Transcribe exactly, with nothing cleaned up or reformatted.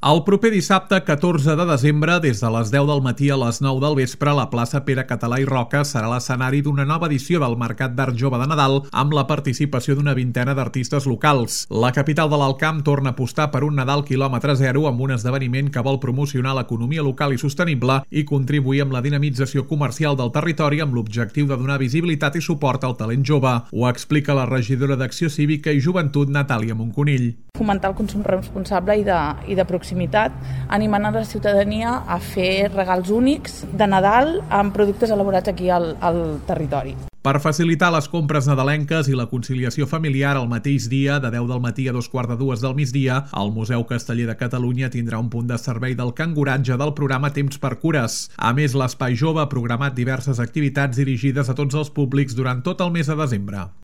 El proper dissabte, catorze de desembre, des de les deu del matí a les nou del vespre, la plaça Pere Català i Roca serà l'escenari d'una nova edició del Mercat d'Art Jove de Nadal amb la participació d'una vintena d'artistes locals. La capital de l'Alt Camp torna a apostar per un Nadal quilòmetre zero amb un esdeveniment que vol promocionar l'economia local i sostenible i contribuir amb la dinamització comercial del territori amb l'objectiu de donar visibilitat i suport al talent jove. Ho explica la regidora d'Acció Cívica i Joventut, Natàlia Monconill. Fomentar el consum responsable i de, i de proximitat, animant a la ciutadania a fer regals únics de Nadal amb productes elaborats aquí al, al territori. Per facilitar les compres nadalenques i la conciliació familiar el mateix dia, de deu del matí a dos quarts de dues del migdia, el Museu Casteller de Catalunya tindrà un punt de servei del canguratge del programa Temps per Cures. A més, l'Espai Jove ha programat diverses activitats dirigides a tots els públics durant tot el mes de desembre.